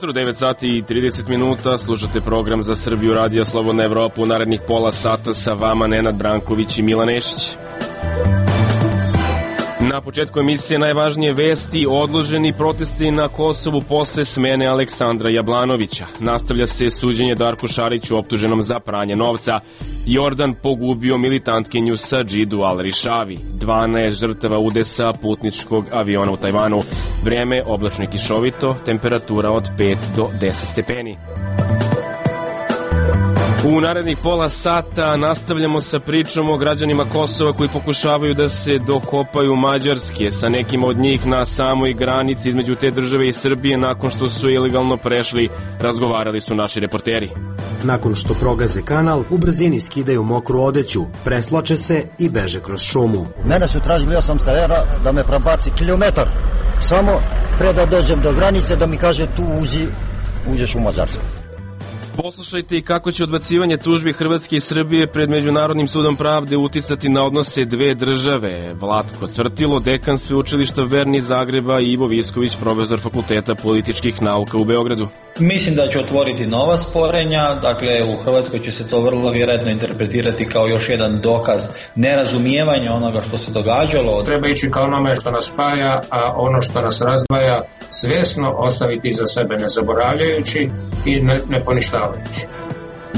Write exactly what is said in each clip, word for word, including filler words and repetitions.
jutro, devet sati i trideset minuta, slušate program za Srbiju Radio Slobodna Evropa. U narednih pola sata sa vama Nenad Branković i Milan Nešić. Na početku emisije najvažnije vesti: odloženi protesti na Kosovu posle smene Aleksandra Jablanovića. Nastavlja se suđenje Darku Šariću optuženom za pranje novca. Jordan pogubio militantkinju sa Džidu Al-Rišavi. dvanaest žrtava udesa putničkog aviona u Tajvanu. Vreme oblačno i kišovito, temperatura od pet do deset stepeni. U narednih pola sata nastavljamo sa pričom o građanima Kosova koji pokušavaju da se dokopaju Mađarske. Sa nekim od njih na samoj granici između te države i Srbije, nakon što su ilegalno prešli, razgovarali su naši reporteri. Nakon što progaze kanal, u brzini skidaju mokru odeću, preslače se i beže kroz šumu. Mene su tražili osamsto evra da me prebaci kilometar, samo pre da dođem do granice, da mi kaže tu uđi, uđeš u Mađarsku. Poslušajte i kako će odbacivanje tužbi Hrvatske i Srbije pred Međunarodnim sudom pravde uticati na odnose dve države. Vlatko Cvrtilo, dekan sveučilišta Verni Zagreba, i Ivo Visković, profesor Fakulteta političkih nauka u Beogradu. Mislim da će otvoriti nova sporenja, dakle u Hrvatskoj će se to vrlo vjerojatno interpretirati kao još jedan dokaz nerazumijevanja onoga što se događalo. Treba ići ka onome što nas spaja, a ono što nas razdvaja svjesno ostaviti iza sebe, ne zaboravljajući i ne, ne poništavajući.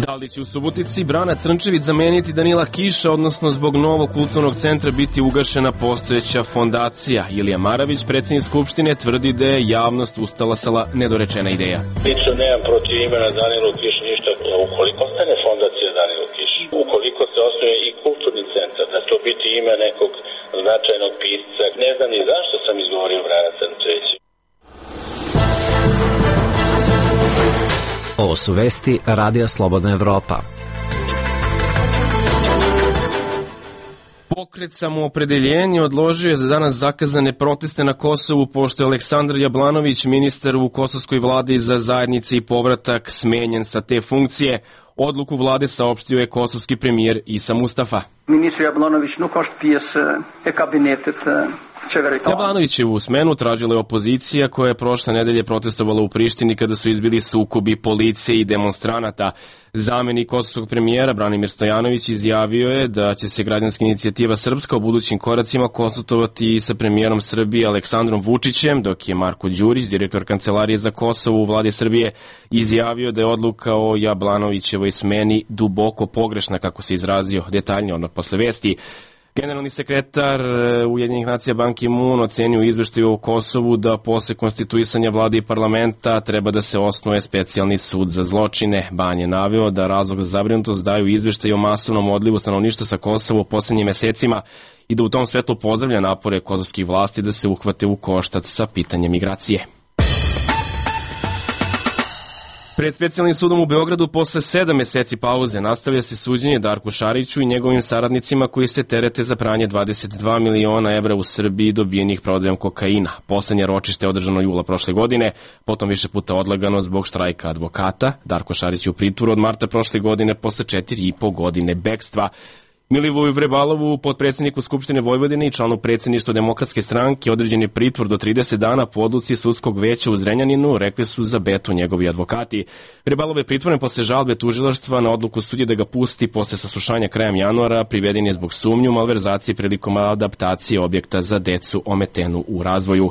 Da li će u Subotici Brana Crnčević zameniti Danila Kiša, odnosno zbog novog kulturnog centra biti ugašena postojeća fondacija? Ilija Maravić, predsjednik Skupštine, tvrdi da je javnost ustalasala nedorečena ideja. Lično nemam protiv imena Danilo Kiš ništa, ukoliko ostane fondacija Danilo Kiš, ukoliko se osnuje i kulturni centar, da to biti ime nekog značajnog pisca. Ne znam ni zašto sam izgovorio Brana Crnčević. Ovo su vesti Radija Slobodna Evropa. Pokret Samoopredeljenje odložio je za danas zakazane proteste na Kosovu, pošto je Aleksandar Jablanović, ministar u kosovskoj vladi za zajednice i povratak, smenjen sa te funkcije. Odluku vlade saopštio je kosovski premijer Isa Mustafa. Ministar Jablanović nuk është pjesë e kabinetit qeveritar. Jablanovićevu smenu tražila je opozicija, koja je prošle nedelje protestovala u Prištini kada su izbili sukobi policije i demonstranata. Zamenik kosovskog premijera Branimir Stojanović izjavio je da će se građanska inicijativa Srpska u budućim koracima konsultovati sa premijerom Srbije Aleksandrom Vučićem, dok je Marko Đurić, direktor Kancelarije za Kosovo u vladi Srbije, izjavio da je odluka o Jablanovićevoj smeni duboko pogrešna, kako se izrazio. Detaljnije odmah posle vesti. Generalni sekretar Ujedinjenih nacija Ban Ki-moon ocenio u izveštaju o Kosovu da posle konstituisanja vlade i parlamenta treba da se osnuje specijalni sud za zločine. Ban je naveo da razlog za zabrinutost daju izveštaj o masovnom odlivu stanovništva sa Kosova u poslednjim mesecima i da u tom svetlu pozdravlja napore kosovskih vlasti da se uhvate u koštac sa pitanjem migracije. Pred specijalnim sudom u Beogradu posle sedam meseci pauze nastavlja se suđenje Darku Šariću i njegovim saradnicima koji se terete za pranje dvadeset dva miliona evra u Srbiji dobijenih prodajom kokaina. Poslednje ročište je održano jula prošle godine, potom više puta odlagano zbog štrajka advokata. Darko Šarić je u pritvoru od marta prošle godine posle četiri i po godine bekstva. Milivoju Vrebalovu, potpredsjedniku Skupštine Vojvodine i članu predsjedništva Demokratske stranke, određen je pritvor do trideset dana po odluci sudskog veća u Zrenjaninu, rekli su za Betu njegovi advokati. Vrebalov je pritvoren posle žalbe tužilaštva na odluku sudije da ga pusti posle saslušanja krajem januara. Priveden je zbog sumnju malverzacije prilikom adaptacije objekta za decu ometenu u razvoju.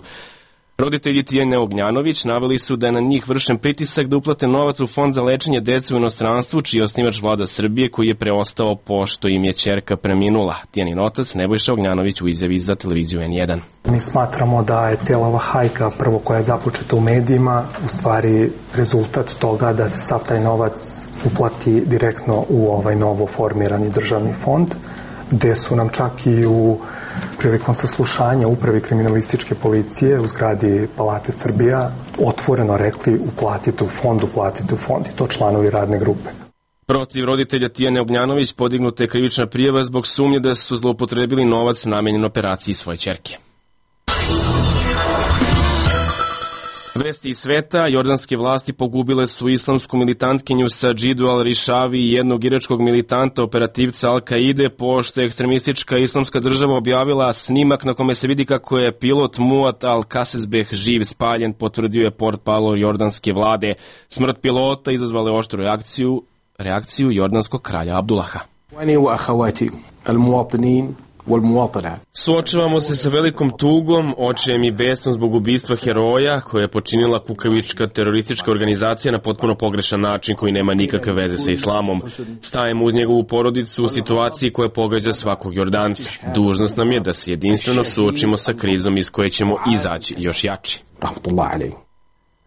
Roditelji Tijene Ognjanović naveli su da je na njih vršen pritisak da uplate novac u fond za lečenje dece u inostranstvu, čiji je osnivač vlada Srbije, koji je preostao pošto im je ćerka preminula. Tijanin otac Nebojša Ognjanović u izjavi za televiziju en jedan. Mi smatramo da je cijela ova hajka, prvo koja je započeta u medijima, u stvari rezultat toga da se sav taj novac uplati direktno u ovaj novo formirani državni fond, gde su nam čak i u prilikom saslušanja upravi kriminalističke policije u zgradi Palate Srbija otvoreno rekli uplatite u fond, uplatite u fond, i to članovi radne grupe. Protiv roditelja Tijane Ognjanović podignuta je krivična prijava zbog sumnje da su zloupotrebili novac namenjen operaciji svoje ćerke. Vesti iz sveta, jordanske vlasti pogubile su islamsku militantkinju Sadžidu al-Rišavi i jednog iračkog militanta operativca Al-Kaide, pošto je ekstremistička islamska država objavila snimak na kome se vidi kako je pilot Muat al-Kasesbeh živ spaljen, potvrdio je portparol jordanske vlade. Smrt pilota izazvala je oštru reakciju, reakciju jordanskog kralja Abdullaha. Suočavamo se sa velikom tugom, očajem i besom zbog ubistva heroja koje je počinila kukavička teroristička organizacija na potpuno pogrešan način koji nema nikakve veze sa islamom. Stajemo uz njegovu porodicu u situaciji koja pogađa svakog Jordanca. Dužnost nam je da se jedinstveno suočimo sa krizom iz koje ćemo izaći još jači.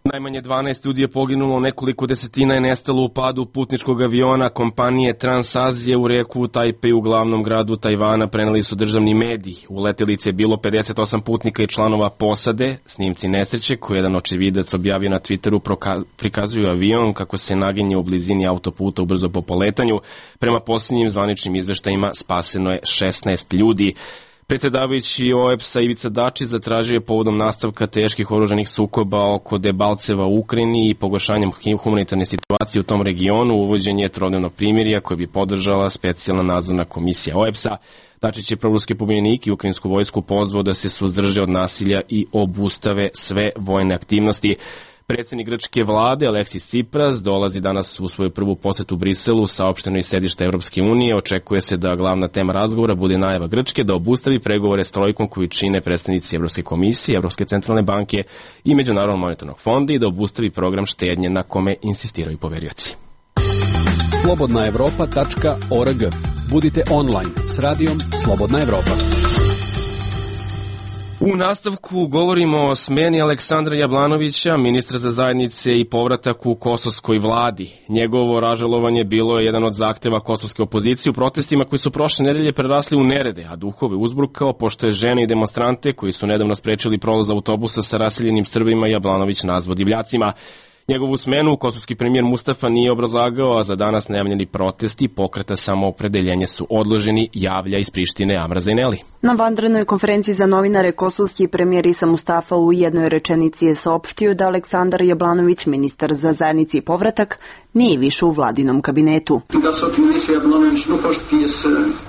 Najmanje dvanaest ljudi je poginulo, nekoliko desetina je nestalo u padu putničkog aviona kompanije Transazije u reku u Tajpej u glavnom gradu Tajvana, preneli su državni mediji. U letelici je bilo pedeset osam putnika i članova posade. Snimci nesreće koje jedan očevidac objavio na Twitteru prikazuju avion kako se naginje u blizini autoputa ubrzo po poletanju. Prema posljednjim zvaničnim izveštajima spaseno je šesnaest ljudi. Predsjedavajući O E B S-a Ivica Dačić zatražio je povodom nastavka teških oružanih sukoba oko Debalceva u Ukrajini i pogoršanjem humanitarne situacije u tom regionu uvođenje trodnevnog primirja koje bi podržala specijalna nadzorna komisija O E B S-a. Dačić je proruski pobunjenik i ukrajinsku vojsku pozvao da se suzdrže od nasilja i obustave sve vojne aktivnosti. Predsjednik grčke vlade Aleksis Tsipras dolazi danas u svoju prvu posetu Briselu, saopšteno iz sedišta Evropske unije. Očekuje se da glavna tema razgovora bude najava Grčke da obustavi pregovore s trojkom koju čine predstavnici Evropske komisije, Evropske centralne banke i Međunarodnog monetarnog fonda i da obustavi program štednje na kome insistiraju poverioci. slobodna evropa tačka org. Budite online s radijom Slobodna Evropa. U nastavku govorimo o smeni Aleksandra Jablanovića, ministra za zajednice i povratak u kosovskoj vladi. Njegovo ražalovanje bilo je jedan od zahteva kosovske opozicije u protestima koji su prošle nedelje prerasli u nerede, a duhove uzburkao pošto je žene i demonstrante koji su nedavno sprečili prolaz autobusa sa raseljenim Srbima Jablanović nazvao divljacima. Njegovu smenu kosovski premijer Mustafa nije obrazlagao, a za danas najavljeni protesti pokreta samoopredeljenja su odloženi, javlja iz Prištine Amra Zaineli. Na vanrednoj konferenciji za novinare kosovski premijer Isa Mustafa u jednoj rečenici je saopštio da Aleksandar Jablanović, ministar za zajednici i povratak, nije više u vladinom kabinetu.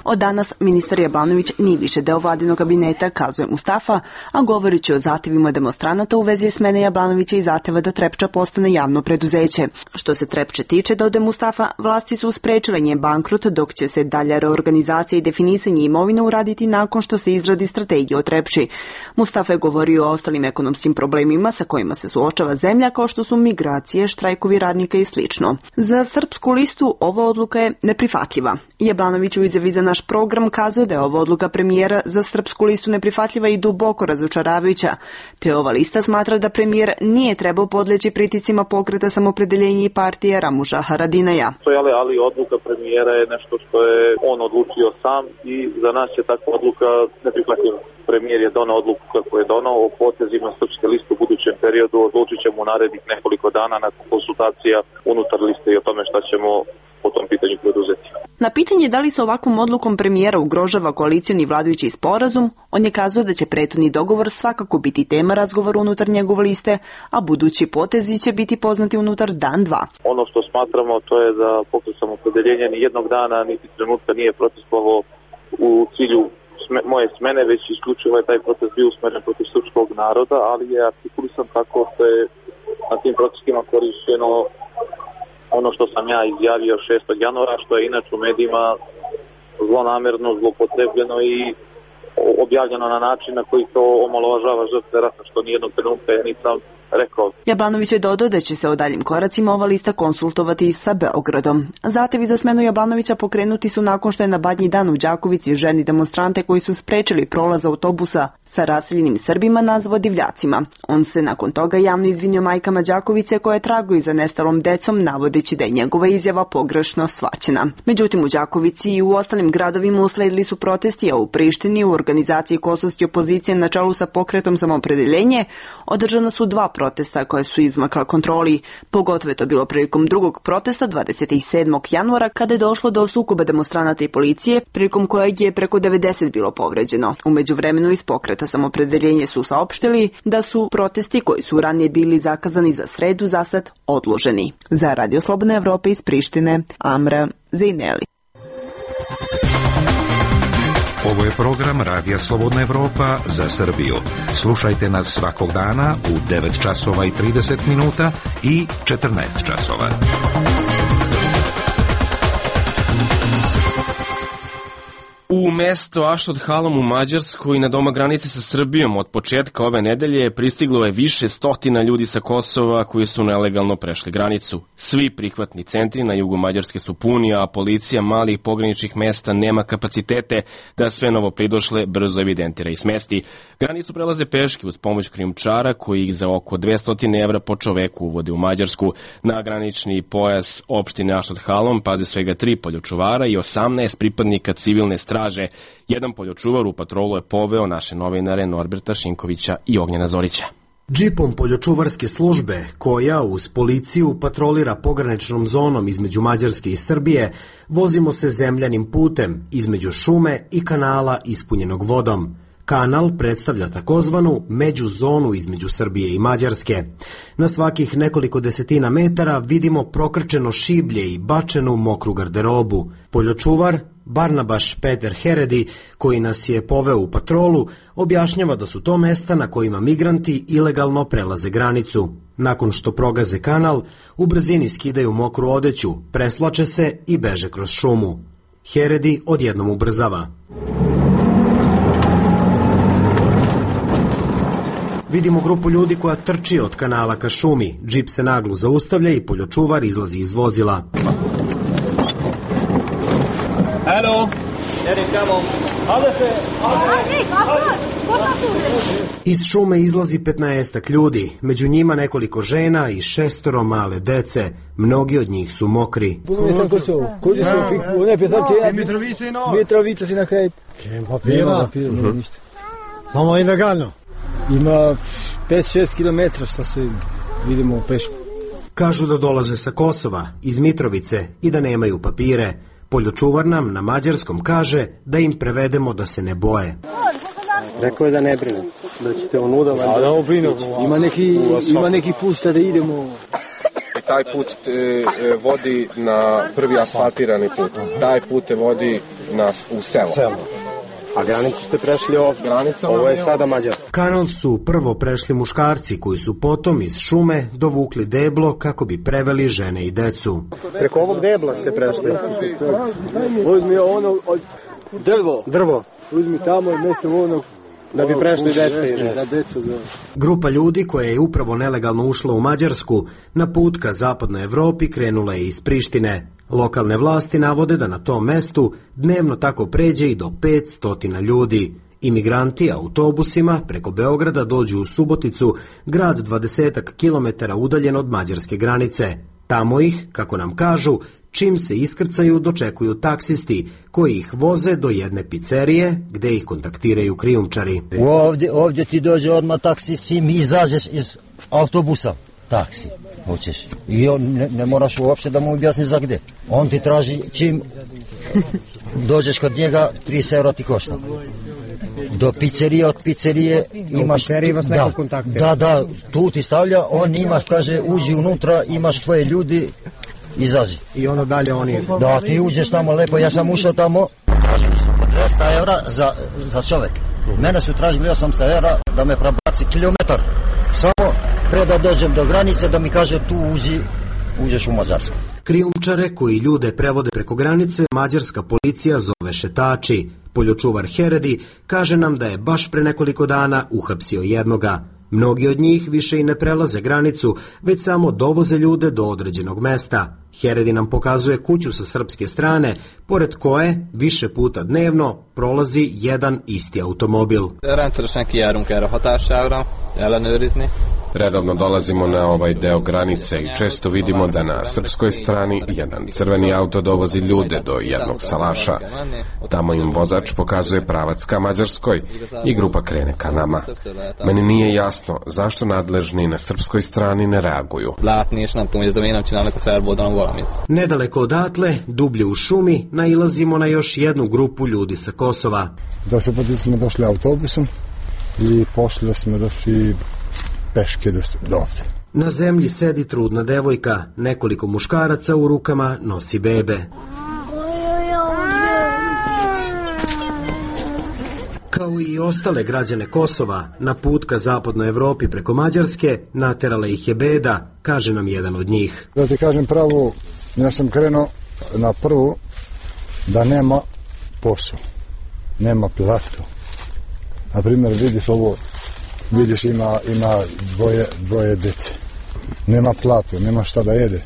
Od danas ministar Jablanović nije više deo vladinog kabineta, kazuje Mustafa, a govoreći o zahtevima demonstranata u vezi smene Jablanovića i zahteva da Trepča postane javno preduzeće. Što se Trepče tiče, dode Mustafa, vlasti su sprečile njen bankrot, dok će se dalja reorganizacija i definisanje imovine uraditi nakon što se izradi strategija o Trepči. Mustafa je govorio o ostalim ekonomskim problemima sa kojima se suočava zemlja, kao što su migracije, štrajkovi radnika i slično. Za Srpsku listu ova odluka je neprihvatljiva. Jablanović u izjavi za naš program kazao da je ova odluka premijera za Srpsku listu neprihvatljiva i duboko razočaravajuća, te ova lista smatra da premijer nije trebao podleći pritiscima pokreta samoopredeljenja i partije Ramuša Haradinaja. Ali odluka premijera je nešto što je on odlučio sam i za nas je takva odluka neprihvatljiva. Premijer je donao odluku kako je donao o potezima Srpske liste u budućem periodu, odlučit ćemo u narednih nekoliko dana nakon konsultacija unutar liste i o tome šta ćemo po tom pitanju preduzeti. Na pitanje da li se ovakvom odlukom premijera ugrožava koalicioni vladajući sporazum, on je kazao da će prethodni dogovor svakako biti tema razgovora unutar njegove liste, a budući potezi će biti poznati unutar dan dva. Ono što smatramo to je da pokret samoopredeljenja ni jednog dana niti trenutka nije protestovao u cilju moje smene, već isključivo je taj protest bio usmeren protiv srpskog naroda, ali je artikulisan tako što je na tim protestima korišćeno ono što sam ja izjavio šestog januara, što je inače u medijima zlonamerno, zlopotrebljeno i objavljeno na način na koji to omalovažava žrtve rata, što nijednog trenutka ja nisam rekao. Jablanović je dodao da će se o daljim koracima ova lista konsultovati sa Beogradom. Zahtevi za smenu Jablanovića pokrenuti su nakon što je na Badnji dan u Đakovici ženi demonstrante koji su sprečili prolaz autobusa sa raseljenim Srbima nazvao divljacima. On se nakon toga javno izvinio majkama Đakovice koje traguju za nestalom decom, navodeći da je njegova izjava pogrešno shvaćena. Međutim, u Đakovici i u ostalim gradovima usledili su protesti, a u Prištini u organizaciji kosovske opozicije na čelu sa pokretom samoopredeljenje održana su dva protesta protesta koje su izmakla kontroli. Pogotovo je to bilo prilikom drugog protesta dvadeset sedmog januara kada je došlo do sukoba demonstranata i policije, prilikom kojeg je preko devedeset bilo povređeno. U međuvremenu iz Pokreta Samopredeljenje su saopštili da su protesti koji su ranije bili zakazani za sredu zasad odloženi. Za Radio Slobodna Evropa iz Prištine, Amra Zejneli. Ovo je program Radija Slobodna Evropa za Srbiju. Slušajte nas svakog dana u devet časova i trideset minuta i četrnaest časova. U mesto Ašdod Halom u Mađarskoj na doma granice sa Srbijom od početka ove nedelje pristiglo je više stotina ljudi sa Kosova koji su nelegalno prešli granicu. Svi prihvatni centri na jugu Mađarske su puni, a policija malih pograničnih mesta nema kapacitete da sve novo pridošle brzo evidentira i smesti. Granicu prelaze peške uz pomoć krijumčara koji ih za oko dvesta evra po čoveku uvode u Mađarsku. Na granični pojas opštine Ašdod Halom paze svega tri poljočuvara i osamnaest pripadnika civilne straže. Jedan poljočuvar u patrolu je poveo naše novinare Norberta Šinkovića i Ognjena Zorića. Džipom poljočuvarske službe, koja uz policiju patrolira pograničnom zonom između Mađarske i Srbije, vozimo se zemljanim putem između šume i kanala ispunjenog vodom. Kanal predstavlja takozvanu međuzonu između Srbije i Mađarske. Na svakih nekoliko desetina metara vidimo prokrčeno šiblje i bačenu mokru garderobu. Poljočuvar Barnabaš Peter Heredi, koji nas je poveo u patrolu, objašnjava da su to mesta na kojima migranti ilegalno prelaze granicu. Nakon što progaze kanal, u brzini skidaju mokru odeću, preslače se i beže kroz šumu. Heredi odjednom ubrzava. Vidimo grupu ljudi koja trči od kanala ka šumi. Džip se naglo zaustavlja i poljočuvar izlazi iz vozila. Hello, iz šume izlazi petnaestak ljudi, među njima nekoliko žena i šestoro male dece. Mnogi od njih su mokri. Mitrovica si na kraju. Papira. Samo ilegalno. Ima pet šest kilometra što se vidimo peško. Kažu da dolaze sa Kosova, iz Mitrovice i da nemaju papire. Poljočuvar nam na mađarskom kaže da im prevedemo da se ne boje. Rekao je da ne brine, da ćete onuda... A da obrinu, ima neki, ima neki put da idemo... Taj put te vodi na prvi asfaltirani put. Taj put te vodi na, u selo. selo. A granicu ste prešli ovdje. Granica ovo je sada Mađarska. Kanal su prvo prešli muškarci koji su potom iz šume dovukli deblo kako bi preveli žene i decu. Preko ovog debla ste prešli. Uzmi ono od drvo. Drvo. Uzmi tamo mjesto onog. Da bi prešli deca. Grupa ljudi koja je upravo nelegalno ušla u Mađarsku na put ka zapadnoj Evropi krenula je iz Prištine. Lokalne vlasti navode da na tom mestu dnevno tako pređe i do petsto ljudi. Imigranti autobusima preko Beograda dođu u Suboticu, grad dvadeset kilometara udaljen od mađarske granice. Tamo ih, kako nam kažu, čim se iskrcaju dočekuju taksisti koji ih voze do jedne pizzerije gde ih kontaktiraju krijumčari. Ovdje, ovdje ti dođe odmah taksi, sim izađeš iz autobusa. Taksi, hoćeš. I on ne, ne moraš uopšte da mu objasni za gde. On ti traži čim dođeš kod njega, trideset evra ti košta. Do pizzerije, od pizzerije imaš... vas da, da, da, tu ti stavlja, on imaš, kaže, uđi unutra, imaš tvoje ljudi, izazi. I ono dalje oni... Da, ti uđeš tamo lepo, ja sam ušao tamo, tražili su dvesta evra za, za čovek. Mene su tražili osamsto evra da me prebaci kilometar. Samo pre da dođem do granice da mi kaže tu uđi, uđeš u Mađarsku. Krijumčare koji ljude prevode preko granice mađarska policija zove šetači. Poljočuvar Heredi kaže nam da je baš pre nekoliko dana uhapsio jednoga. Mnogi od njih više i ne prelaze granicu, već samo dovoze ljude do određenog mesta. Heredi nam pokazuje kuću sa srpske strane, pored koje više puta dnevno prolazi jedan isti automobil. Rendszeresen kijárunk erre hatására, ellenőrizni. Redovno dolazimo na ovaj deo granice i često vidimo da na srpskoj strani jedan crveni auto dovozi ljude do jednog salaša. Tamo im vozač pokazuje pravac ka Mađarskoj i grupa krene ka nama. Meni nije jasno zašto nadležni na srpskoj strani ne reaguju. Nedaleko odatle, dublje u šumi, nailazimo na još jednu grupu ljudi sa Kosova. Došli put smo došli autobusom i pošli smo došli peške do, do ovde. Na zemlji sedi trudna devojka, nekoliko muškaraca u rukama nosi bebe. Kao i ostale građane Kosova, na put ka zapadnoj Evropi preko Mađarske naterala ih je beda, kaže nam jedan od njih. Da ti kažem pravo, ja sam krenuo na prvu da nema posao, nema platu. Na primjer, vidiš ovo, vidiš ima, ima dvoje, dvoje dece. Nema platu, nema šta da jede.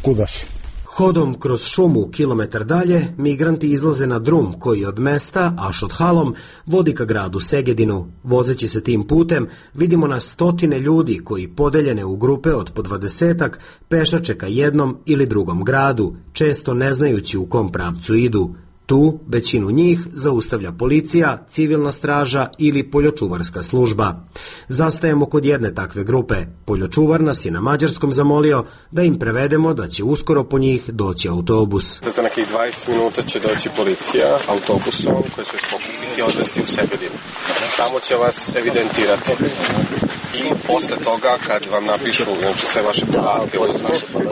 Kuda si? Hodom kroz šumu kilometar dalje, migranti izlaze na drum koji od mesta, Ašot Halom, vodi ka gradu Segedinu. Vozeći se tim putem, vidimo na stotine ljudi koji, podeljene u grupe od po dvadesetak, pešače ka jednom ili drugom gradu, često ne znajući u kom pravcu idu. Tu većinu njih zaustavlja policija, civilna straža ili poljočuvarska služba. Zastajemo kod jedne takve grupe. Poljočuvar nas je na mađarskom zamolio da im prevedemo da će uskoro po njih doći autobus. Za nekih dvadeset minuta će doći policija autobusom koji će vas pokupiti i odvesti u Segedin. Tamo će vas evidentirati. I posle toga, kad vam napišu znači, sve vaše podatke,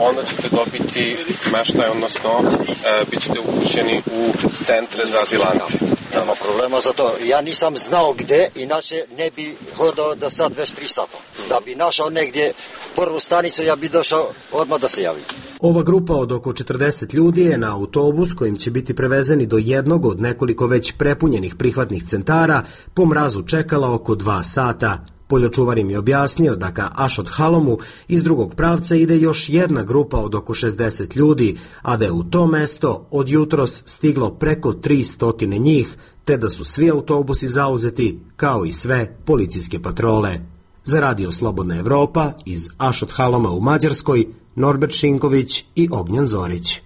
onda ćete dobiti smeštaj, odnosno e, bit ćete upućeni u centre za azilante. Nema problema za to. Ja nisam znao gde, inače ne bi hodao do sad već tri sata. Da bi našao negdje prvu stanicu, ja bi došao odmah da se javim. Ova grupa od oko četrdeset ljudi je na autobus kojim će biti prevezeni do jednog od nekoliko već prepunjenih prihvatnih centara po mrazu čekala oko dva sata. Poljočuvar im je objasnio da ka Ašot Halomu iz drugog pravca ide još jedna grupa od oko šezdeset ljudi, a da je u to mesto od jutros stiglo preko tri stotine njih, te da su svi autobusi zauzeti, kao i sve policijske patrole. Za Radio Slobodna Evropa iz Ašot Haloma u Mađarskoj, Norbert Šinković i Ognjen Zorić.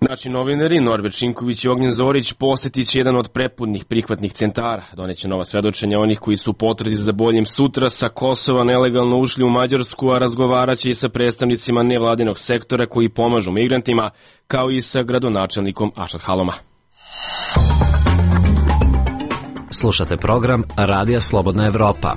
Naši novinari Norbert Šinković i Ognjen Zorić posjetit će jedan od prepudnih prihvatnih centara. Doneće nova svedočenja onih koji su potrezi za boljim sutra sa Kosova nelegalno ušli u Mađarsku, a razgovarat će i sa predstavnicima nevladinog sektora koji pomažu migrantima, kao i sa gradonačelnikom Ašot Haloma. Slušate program Radija Slobodna Evropa.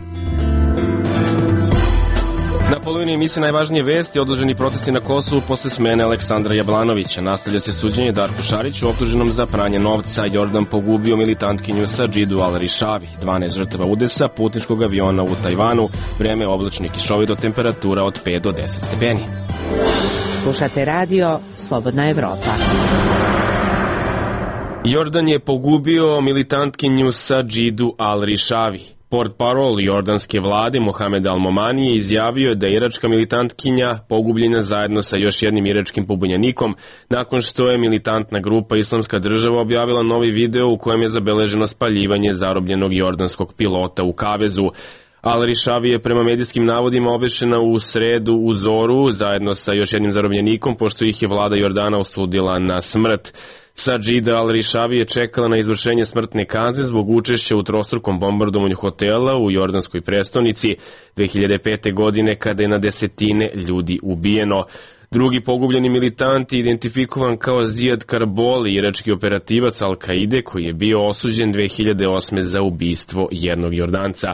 Na polovini emisije najvažnije vesti, odloženi protesti na Kosovu posle smene Aleksandra Jablanovića. Nastavlja se suđenje Darku Šariću, optuženom za pranje novca. Jordan pogubio militantkinju Sadžidu Al-Rišavi. dvanaest žrtava udesa putničkog aviona u Tajvanu. Vreme oblačno i kišovito, temperatura od pet do deset stepeni. Slušate radio Slobodna Evropa. Jordan je pogubio militantkinju Sadžidu Al-Rišavi. Portparol jordanske vlade Mohamed Al-Momani je izjavio da je iračka militantkinja pogubljena zajedno sa još jednim iračkim pobunjenikom nakon što je militantna grupa Islamska država objavila novi video u kojem je zabeleženo spaljivanje zarobljenog jordanskog pilota u kavezu. Al-Rišavi je prema medijskim navodima obešena u sredu u Zoru zajedno sa još jednim zarobljenikom, pošto ih je vlada Jordana osudila na smrt. Sadžida Al-Rišavi je čekala na izvršenje smrtne kazne zbog učešća u trostrukom bombardovanju hotela u jordanskoj prestonici dve hiljade pete. godine kada je na desetine ljudi ubijeno. Drugi pogubljeni militant je identifikovan kao Zijad Karboli, irački operativac Al-Kaide koji je bio osuđen dve hiljade osme. za ubistvo jednog Jordanca.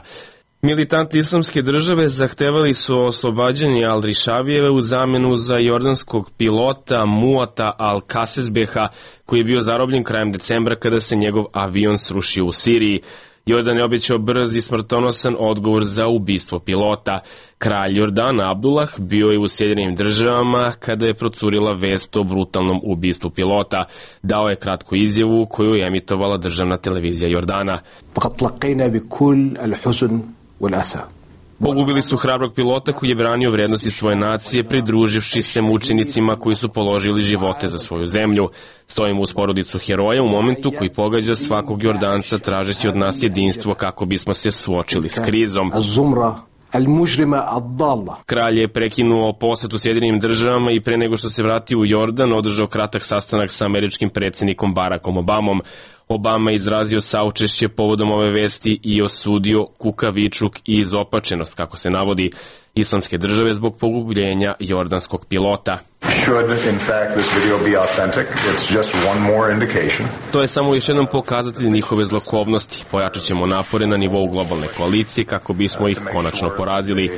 Militanti Islamske države zahtevali su oslobađanje Al-Rišavijeve u zamenu za jordanskog pilota Muata Al-Kasesbeha, koji je bio zarobljen krajem decembra kada se njegov avion srušio u Siriji. Jordan je obećao brz i smrtonosan odgovor za ubistvo pilota. Kralj Jordana Abdullah bio je u Sjedinjenim državama kada je procurila vest o brutalnom ubistvu pilota. Dao je kratku izjavu koju je emitovala državna televizija Jordana. Pogubili su hrabrog pilota koji je branio vrednosti svoje nacije, pridruživši se mučenicima koji su položili živote za svoju zemlju. Stojimo uz porodicu heroja u momentu koji pogađa svakog Jordanca tražeći od nas jedinstvo kako bismo se suočili s krizom. Kralj je prekinuo posetu Sjedinjenim državama i pre nego što se vratio u Jordan održao kratak sastanak sa američkim predsjednikom Barackom Obamom. Obama je izrazio saučešće povodom ove vesti i osudio kukavičluk i izopačenost, kako se navodi, Islamske države zbog pogubljenja jordanskog pilota. To je samo još jedan pokazatelj njihove zlokobnosti. Pojačat ćemo napore na nivou globalne koalicije kako bismo ih konačno porazili.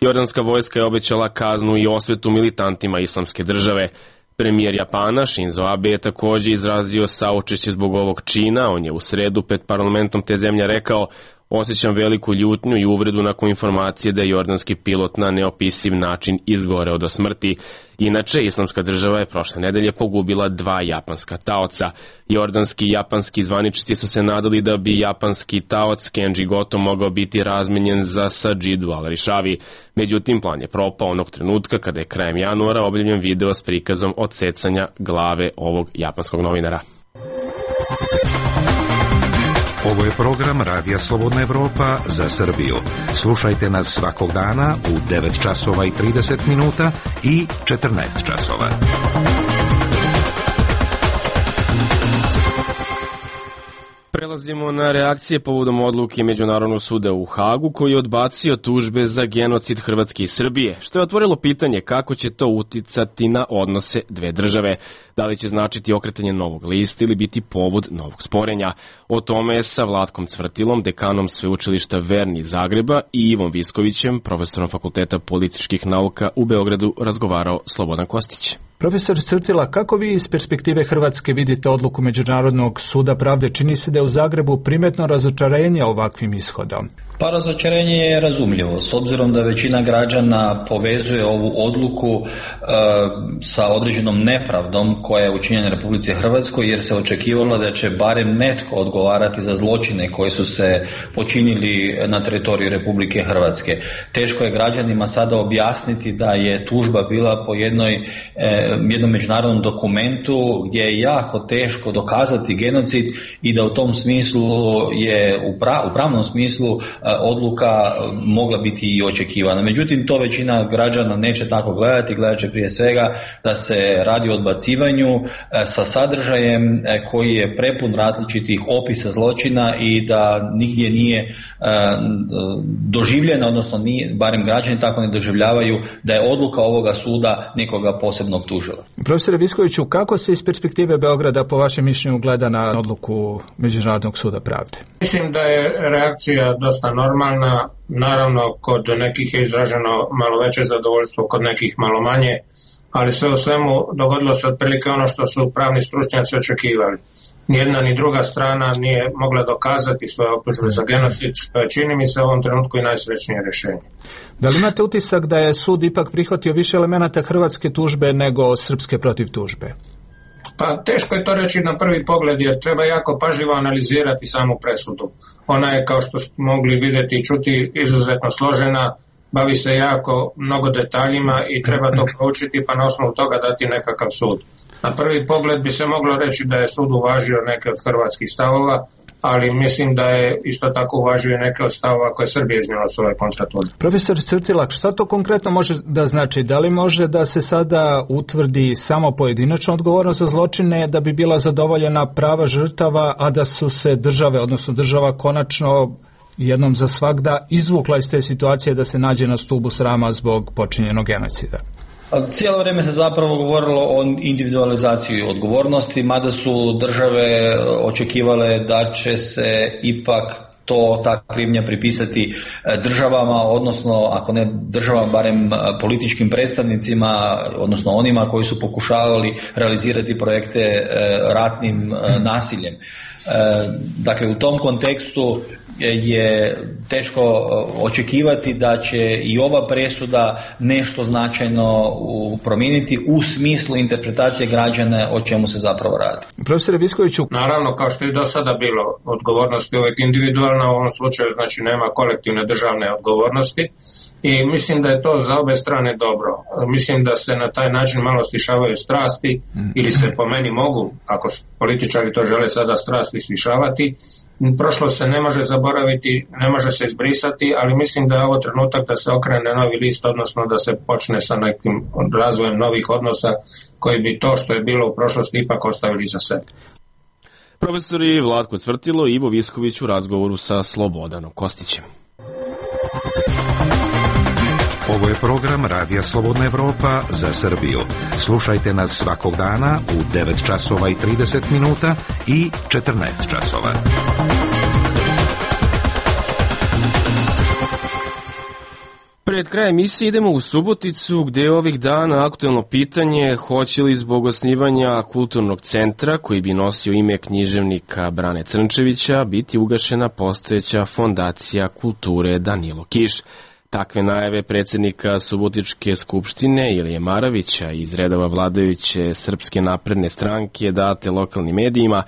Jordanska vojska je obećala kaznu i osvetu militantima Islamske države. Premijer Japana Shinzo Abe je također izrazio saučešće zbog ovog čina. On je u sredu pred parlamentom te zemlje rekao: osjećam veliku ljutnju i uvredu nakon informacije da je jordanski pilot na neopisiv način izgoreo do smrti. Inače, Islamska država je prošle nedelje pogubila dva japanska taoca. Jordanski i japanski zvaničnici su se nadali da bi japanski taoc Kenji Goto mogao biti razmenjen za Sajidu Al-Rishavi. Međutim, plan je propao onog trenutka kada je krajem januara objavljen video s prikazom odsecanja glave ovog japanskog novinara. Ovo je program Radija Slobodna Evropa za Srbiju. Slušajte nas svakog dana u devet časova i trideset minuta i četrnaest časova. Prelazimo na reakcije povodom odluke Međunarodnog suda u Hagu koji je odbacio tužbe za genocid Hrvatske i Srbije, što je otvorilo pitanje kako će to uticati na odnose dve države. Da li će značiti okretanje novog lista ili biti povod novog sporenja? O tome je sa Vlatkom Cvrtilom, dekanom sveučilišta Verni iz Zagreba, i Ivom Viskovićem, profesorom Fakulteta političkih nauka u Beogradu, razgovarao Slobodan Kostić. Profesor Cvrtila, kako vi iz perspektive Hrvatske vidite odluku Međunarodnog suda pravde? Čini se da je u Zagrebu primetno razočarenje ovakvim ishodom. Pa razočarenje je razumljivo, s obzirom da većina građana povezuje ovu odluku e, sa određenom nepravdom koja je učinjena Republici Hrvatskoj, jer se očekivalo da će barem netko odgovarati za zločine koji su se počinili na teritoriju Republike Hrvatske. Teško je građanima sada objasniti da je tužba bila po jednoj, e, jednom međunarodnom dokumentu gdje je jako teško dokazati genocid i da u tom smislu je u, pra, u pravnom smislu odluka mogla biti i očekivana. Međutim, to većina građana neće tako gledati, gledat će prije svega da se radi o odbacivanju sa sadržajem koji je prepun različitih opisa zločina i da nigdje nije doživljena, odnosno nije, barem građani tako ne doživljavaju da je odluka ovoga suda nekoga posebno optužila. Profesore Viskoviću, kako se iz perspektive Beograda po vašem mišljenju gleda na odluku Međunarodnog suda pravde? Mislim da je reakcija dosta normalna, naravno kod nekih je izraženo malo veće zadovoljstvo, kod nekih malo manje, ali sve u svemu dogodilo se otprilike ono što su pravni stručnjaci očekivali. Nijedna ni druga strana nije mogla dokazati svoje optužbe za genocid, što je, čini mi se, u ovom trenutku i najsrećnije rješenje. Da li imate utisak da je sud ipak prihvatio više elemenata hrvatske tužbe nego srpske protiv tužbe? Pa teško je to reći na prvi pogled, jer treba jako pažljivo analizirati samu presudu. Ona je, kao što smo mogli vidjeti i čuti, izuzetno složena, bavi se jako mnogo detaljima i treba to proučiti pa na osnovu toga dati nekakav sud. Na prvi pogled bi se moglo reći da je sud uvažio neke od hrvatskih stavova, ali mislim da je isto tako uvažio neke od stavova koje Srbija iznijela s ove kontratužbe. Profesor Cvrtilak, šta to konkretno može da znači? Da li može da se sada utvrdi samo pojedinačna odgovornost za zločine da bi bila zadovoljena prava žrtava, a da su se države, odnosno država, konačno jednom za svagda izvukla iz te situacije da se nađe na stubu srama zbog počinjenog genocida? Cijelo vrijeme se zapravo govorilo o individualizaciji odgovornosti, mada su države očekivale da će se ipak to, ta krivnja pripisati državama, odnosno ako ne državama, barem političkim predstavnicima, odnosno onima koji su pokušavali realizirati projekte ratnim nasiljem. Dakle, u tom kontekstu je teško očekivati da će i ova presuda nešto značajno promijeniti u smislu interpretacije građana o čemu se zapravo radi. Profesore Viskoviću, naravno, kao što je do sada bilo, odgovornost je uvijek individualna, u ovom slučaju znači nema kolektivne državne odgovornosti i mislim da je to za obe strane dobro. Mislim da se na taj način malo stišavaju strasti ili se po meni mogu, ako političari to žele sada strasti stišavati, prošlo se ne može zaboraviti, ne može se izbrisati, ali mislim da je ovo trenutak da se okrene novi list, odnosno da se počne sa nekim razvojem novih odnosa koji bi to što je bilo u prošlosti ipak ostavili za sebe. Profesori Vlatko Cvrtilo i Ivo Visković u razgovoru sa Slobodanom Kostićem. Ovo je program Radija Slobodna Evropa za Srbiju. Slušajte nas svakog dana u devet časova i trideset minuta i četrnaest časova. Pred krajem emisije idemo u Suboticu, gde je ovih dana aktuelno pitanje hoće li zbog osnivanja kulturnog centra, koji bi nosio ime književnika Brane Crnčevića, biti ugašena postojeća fondacija kulture Danilo Kiš. Takve najave predsjednika Subotičke skupštine Ilije Maravića iz redova vladajuće Srpske napredne stranke date lokalnim medijima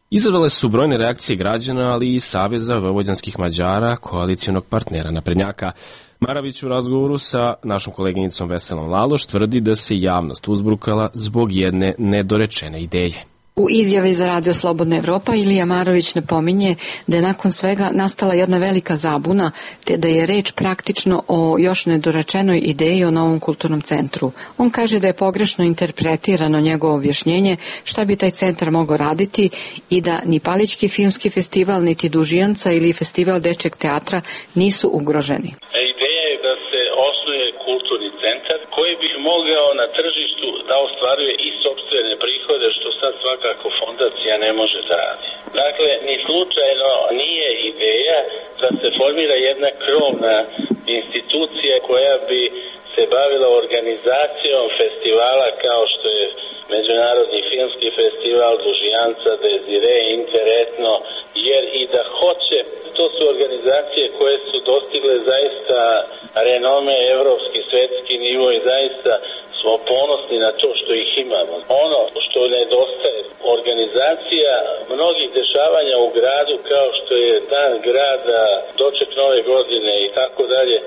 izazvale su brojne reakcije građana, ali i Saveza vojvođanskih Mađara, koalicijonog partnera naprednjaka. Maravić u razgovoru sa našom koleginicom Veselom Laloš tvrdi da se javnost uzburkala zbog jedne nedorečene ideje. U izjavi za Radio Slobodna Evropa Ilija Marović napominje da je nakon svega nastala jedna velika zabuna, te da je reč praktično o još nedorečenoj ideji o novom kulturnom centru. On kaže da je pogrešno interpretirano njegovo objašnjenje šta bi taj centar mogao raditi i da ni Palićki filmski festival, niti Dužijanca ili festival dečeg teatra nisu ugroženi. Ideja je da se osnuje kulturni centar koji bi mogao na tržištu da ostvaruje i sopstvene prihode, što sad svakako fondacija ne može da radi. Dakle, ni slučajno nije ideja da se formira jedna krovna institucija koja bi se bavila organizacijom festivala kao što je Međunarodni filmski festival, Dužijanca, Dezire, Interetno, jer i da hoće, to su organizacije koje su dostigle zaista renome, evropski, svetski nivo i zaista smo ponosni na to što ih imamo. Ono što nedostaje, organizacija mnogih dešavanja u gradu kao što je Dan grada, doček nove godine i tako dalje,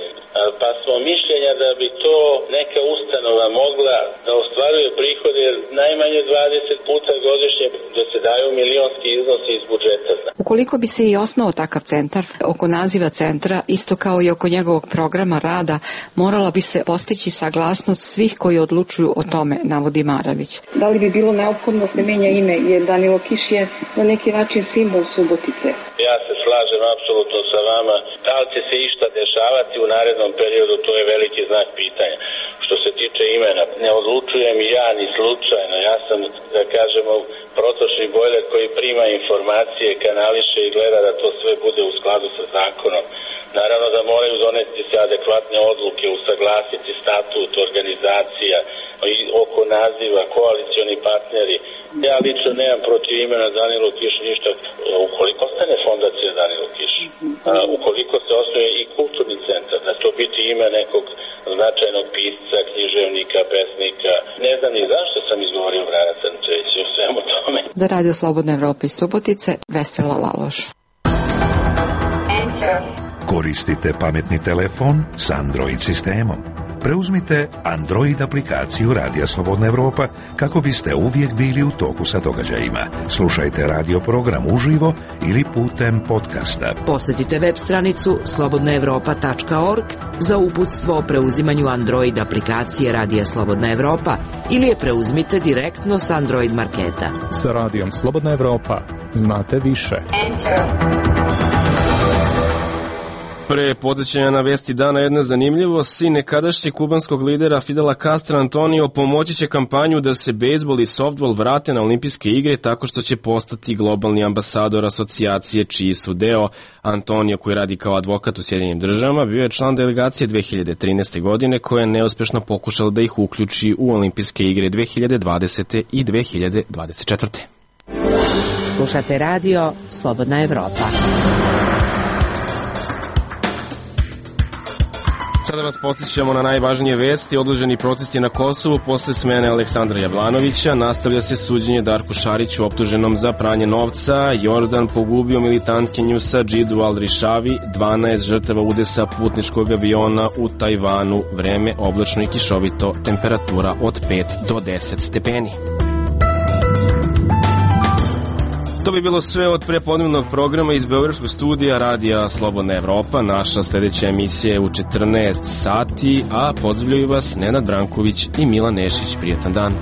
pa smo mišljenja da bi to neka ustanova mogla da ostvaruje prihode, jer najmanje dvadeset puta godišnje da se daju milionski iznosi iz budžeta. Ukoliko bi se i osnovao takav centar, oko naziva centra, isto kao i oko njegovog programa rada, morala bi se postići saglasnost svih koji odlučuju o tome, navodi Maravić. Da li bi bilo neophodno se menja ime, jer Danilo Kiš je na neki način simbol Subotice? Ja se slažem apsolutno sa vama. Da li će se išta dešavati u narednom periodu, to je veliki znak pitanja. Što se tiče imena, ne odlučujem ja ni slučajno. Ja sam, da kažemo, protočni bojler koji prima informacije, kanališe i gleda da to sve bude u skladu sa zakonom. Naravno da moraju doneti se adekvatne odluke, usaglasiti statut, organizacija, i oko naziva, koalicioni partneri. Ja lično nemam protiv imena Danilo Kiš ništa, ukoliko ostane fondacija Danilo Kiš, a, ukoliko se osnuje i kulturni centar, da to biti ime nekog značajnog pisca, književnika, pesnika. Ne znam ni zašto sam izgovorio Brana Crnčevića u svemu tome. Za Radio Slobodna Evropa iz Subotice, Vesela Laloš. Koristite pametni telefon s Android sistemom. Preuzmite Android aplikaciju Radija Slobodna Evropa kako biste uvijek bili u toku sa događajima. Slušajte radio program uživo ili putem podcasta. Posjetite web stranicu slobodna evropa tačka org za uputstvo o preuzimanju Android aplikacije Radija Slobodna Evropa ili je preuzmite direktno s Android marketa. Sa Radijom Slobodna Evropa znate više. Pre podsjećanja na vesti dana jedna zanimljivost, sin nekadašnjeg kubanskog lidera Fidela Castra Antonio pomoći će kampanju da se bejzbol i softball vrate na olimpijske igre tako što će postati globalni ambasador asocijacije čiji su deo. Antonio, koji radi kao advokat u Sjedinjenim državama, bio je član delegacije dve hiljade trinaeste. godine koja je neuspešno pokušala da ih uključi u olimpijske igre dve hiljade dvadesete. i dve hiljade dvadeset četvrte. Slušate radio Slobodna Evropa. Sada vas podsjećamo na najvažnije vesti. Odloženi protesti na Kosovu posle smene Aleksandra Jablanovića. Nastavlja se suđenje Darku Šariću optuženom za pranje novca. Jordan pogubio militantkinju sa Džidu Al-Rišavi. dvanaest žrtava udesa putničkog aviona u Tajvanu. Vreme oblačno i kišovito. Temperatura od pet do deset stepeni. To bi bilo sve od prepodnevnog programa iz Beogradskog studija Radija Slobodna Evropa. Naša sljedeća emisija je u četrnaest sati, a pozdravljaju vas Nenad Branković i Milan Nešić. Prijetan dan.